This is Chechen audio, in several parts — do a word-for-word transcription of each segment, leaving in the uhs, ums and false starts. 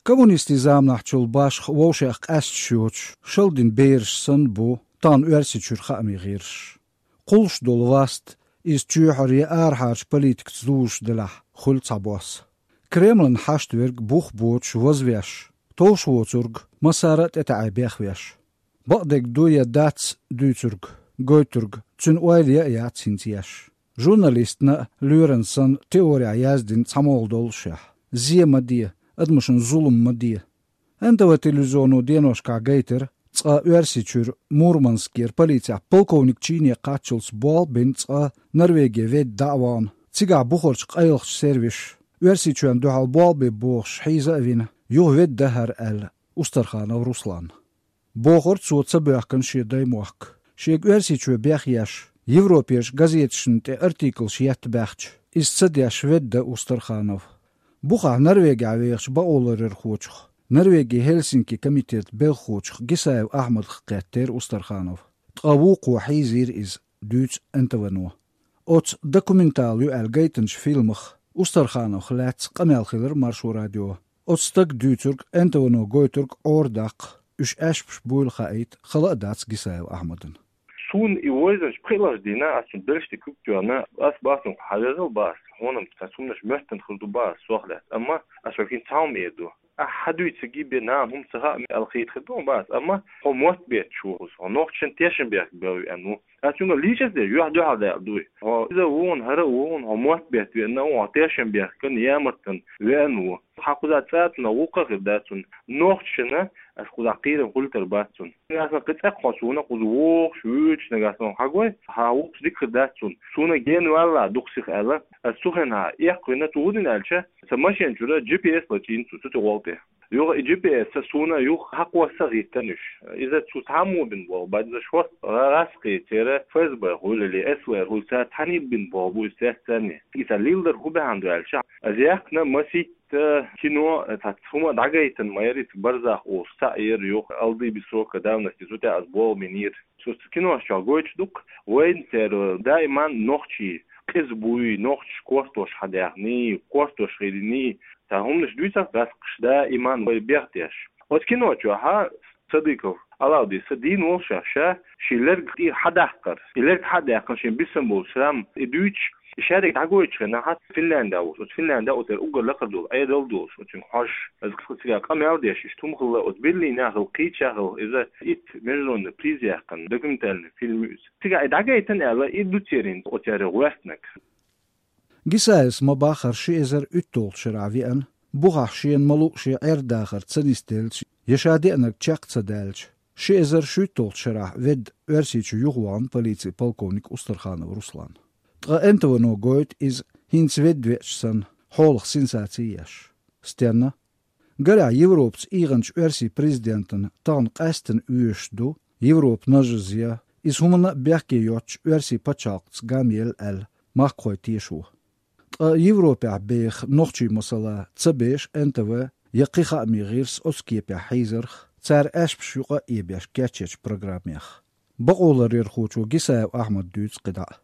Коммунистийн заманахьчул башха вовшех къаьсташ йоцуш, шалдина бераш санна бу тахана Оьрсийчуьра хаамийн гӀирсаш. Кхуллуш долу васт иза чоьхьара я арахьарчу политикаца зузуш делахь, хуьлу цхьабосса. Кремлан хьашт верг бух боцуш вазвеш, товш воцург массара а тӀетаьӀе бехвеш. Бакъдерг ду я дац дуьйцург, гойтург, цуьнан ойла я а яц хӀинца еш. Журналистна а лоьран санна теорехь яздина цхьа могӀа доллушехь, зе ма де, адамашна зулам ма де. Н Т В телевизионо деношкахь гайтира, цкъа Оьрсийчуьра Мурманскера полицехь полковник чине кхаччалц болх бина цкъа Норвеге ведда дӀа а вахана, цигахь бухарчу къайлахчу сервисаша, Оьрсийчоьнна дуьхьал болх бе бохуш хьийза а вина, юха ведда хӀара аьлла Устарханов Русланна. Бохура цо ца боьхкина шен даймохк. Шега Оьрсийчоь бехъеш, Европерчу газеташна тӀе артиклаш етта баьхча, иза ца деш ведда Устарханов. Бухахь Норвегехь вехачу бакъоларъярхочух, Норвегин Хельсинки комитетан белхахочух Гисаев Ахьмадах кхеттера Устарханов. Ткъа вукхо хьийзийра иза, дуьйцу Н Т В-но. Оцу документал ю аьлла гайтинчу фильмах Устархановх лаьцна къамел хилира Маршо радион. Оцу стага дуьйцург, Н Т В-но гойтург Ӏора даккха, уьш аьшпаш буйла хаийта хала а дац Гисаев Ахьмадана. Суна и вайзанаш пхиалгӀачу дийнахь, ас цуьнан белшаш тӀе куьг тоьхна, ас бах цунга хьажал бах, хьуна-м цхьа цхьа хӀуманаш моьттина хир ду бах, сох лаьцна. Амма ас хӀокхуьнца цхьа хӀума эр ду. Ахь хьан дуьйцург бен нахана хӀума ца хаьа аьлла хийтахь ду бах, амма хьо мотт бетташ ву, хьо нохчашна тешнабехк бен веана ву. Ас цуьнга лийча ас де, юьхь-дуьхьал даьлла дуй. Хьо иза а ву хьуна, хӀара а ву хьуна, хьо мотт бетта веана ву, хьо тешнабехкан, ямартан веана ву. Хьан кхуза цӀа а цунах гӀуллакх а хир дац цунна. Нохчашна ас кхузахь кхерам хуьлуьйтур бац цунна. Нагахь санна кхин цӀе а кхо суна кхуза вогӀуш, вуьйцуш нагахь санна хьагой, хьан гӀуллакхаш дика хир дац цунна. Суна гена ваьлла дукха сиха аьлла, ас цу хенахь эккхавина, цо хӀун дина аьлча, сан машен чуьра G P S лачийна цо цу тӀе гӀолла тӀе. Юха и G P S суна юха хьакхосса а хӀиттина уьш. Иза цо цхьаммо бина болх бац, иза шортта гӀа-, гӀаскхий, церан Ф С Б хуьлу или С В Р хуьлу, цара цхьаьна бина болх бу иза цецдерзий. Иза лелор хӀун бахьана ду аьлча, ас яьккхина масийтта кино, цхьацца хӀума дӀагайтина ма яра, иза Барзах олуш цхьаъ яра юха, «Алды без срока давности», цу тӀехь ас болх бинера. Цу киношкахь гойтуш ду-кх, вайна церан даиман нохчий къиза буй, нохчаш кортош хьадаьхний, кортош хилиний, цхьа хӀуманаш дуьйцуш гӀаскхаша даиман вай бехдеш. Оцу кино чохь Садыков Алаудис дийна волуш ша шен лерг тӀера хьадаккхар. И лерг хьа а даьккхина, шен бисина болу шрам и дуьйцуш, и шаьриг дӀагойтучу хенахь Финляндехь волуш, оцу Финляндехь оцу уггар лакхара долу Ӏедал а долуш, оцуьнга хьожуш, иза кхин цигахь къамел а деш, иштта хӀума хилла, оцу Берлинехь хилла кхечахь хилла, иза итт международный приз яьккхина документальный фильм ю иза. Цигахь и дӀагайтина аьлла, и ду церан оцу шаьргах гӀоьртинарг. Гисаевс ма-баххара ши эзар уьтталгӀачу шарахь веана, бухахь шена ма-луъу шен Ӏер-дахар ца нисделча, я ша деанарг чекх ца даьлча, ши эзар шуьйтталгӀачу шарахь ведда Оьрсийчу юхавахана полицин полковник Устарханов Руслан. Ткъа Н Т В-но гойту иза, хӀинца ведда веача санна, хьолах сенсаци еш. Стенна? Гарехь, Европаца ийгӀинчу оьрсийн президентана тахана къаьсттина оьшуш ду Европа нажазе, иза хӀуманна а бехке йоцучу оьрсийн пачхьалкхца гамъелла аьлла, махкахой тешо. Ткъа Европехь беха нохчий масала ца беша Н Т В я кхин хаамийн гӀирс оцу кепехь хьийзарх, цара аьшпаш юкъа а эбеш кечъечу программех. Бакъоларъярхочо Гисаев Ахьмада дуьйцу кхидӀа а.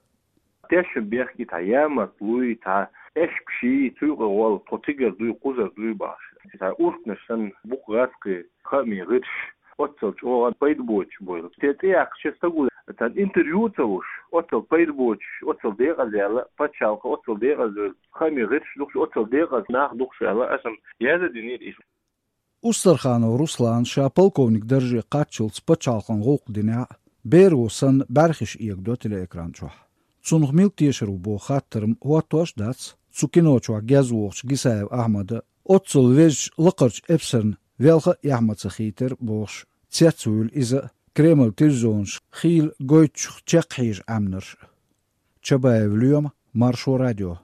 Тешнабехк, и цхьа ямартлуй, цхьа аьшпаший, цу юкъа гӀолла тхо цигара дуй, кхузара дуй бахаш. И цхьа урхканаш санна бу-кх гӀаскхий хаамийн гӀирсаш, оццул чӀогӀа пайда боцуш бойла. Те цӀе яккхачу стага цхьа интервью а ца луш, оццул пайда боцуш, оццул декъаза яьлла пачхьалкх, оццул декъаза хаамийн гӀирсаш ду-кх уьш, оццул декъаза нах ду-кх уьш аьлла, аса-м яздан динера иза. Устарханов Руслана ша полковник дарже кхаччалц пачхьалкхан гӀуллакх динехь а, беро санна бӀаьрхиш эгадо телеэкран чохь. Цунах мила тешар ву боху хаттар-м хӀоттош а дац, цу кино чохь гезвохучу Гисаев Ахьмада, оццул везачу лакхарчу эпсарна велха а эхь ма ца хийтира бохуш, цецвуьйлу иза а, Кремлан телевизионаш хийла гойтучух чекххьежа Ӏаьмнарш а. Чабаев Лоьма, Маршо радио.